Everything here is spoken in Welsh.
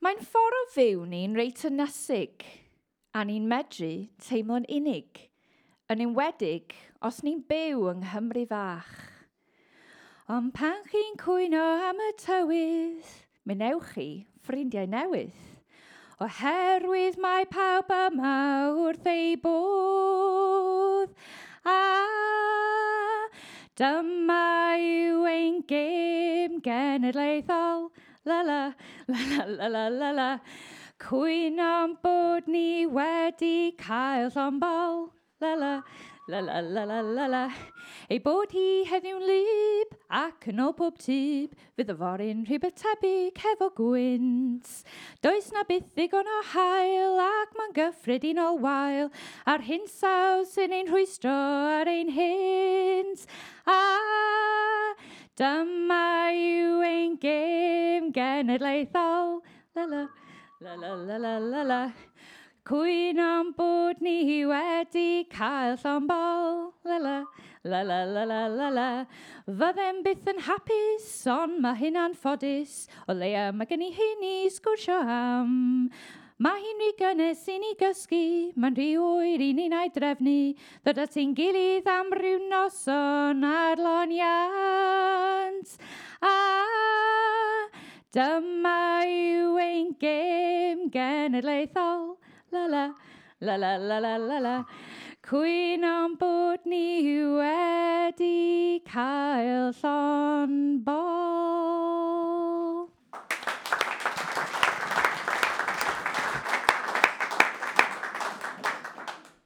Mae'n ffordd o fyw ni'n reit ynysig, a ni'n medru teimlo'n unig, yn enwedig os ni'n byw yng Nghymru fach. Ond pan chi'n cwyno am y tywydd, mi newch chi ffrindiau newydd, oherwydd mae pawb yma wrth ei bodd. A dyma yw ein gêm genedlaethol. La la, la la la la la la. Cwyno'n bod ni wedi cael llond bol. La la, la la la la la la. Ei bod hi heddiw'n wlyb ac yn ôl pob tyb, fydd yfory'n rhywbeth tebyg hefo gwynt. Does na byth ddigon o haul ac mae'n gyffredinol wael, a'r hinsawdd sy'n ein rhwystro ar ein hynt. A dyma yw ein gêm genedlaethol. La la, la la la la la la. Cwyno'n bod ni wedi cael llond bol. La la, la la la la la la. Fyddem byth yn hapus, ond mae hynna'n ffodus. O leia mae gen i hyn i sgwrsio am. Mae hi'n rhy gynnes i ni gysgu, mae'n rhy oer i ni na'i drefnu. Ddod at ein gilydd am ryw noson ar loniant. A dyma yw ein gêm genedlaethol. La la, la la la la la la. Cwyno'n bod ni wedi cael llond bol.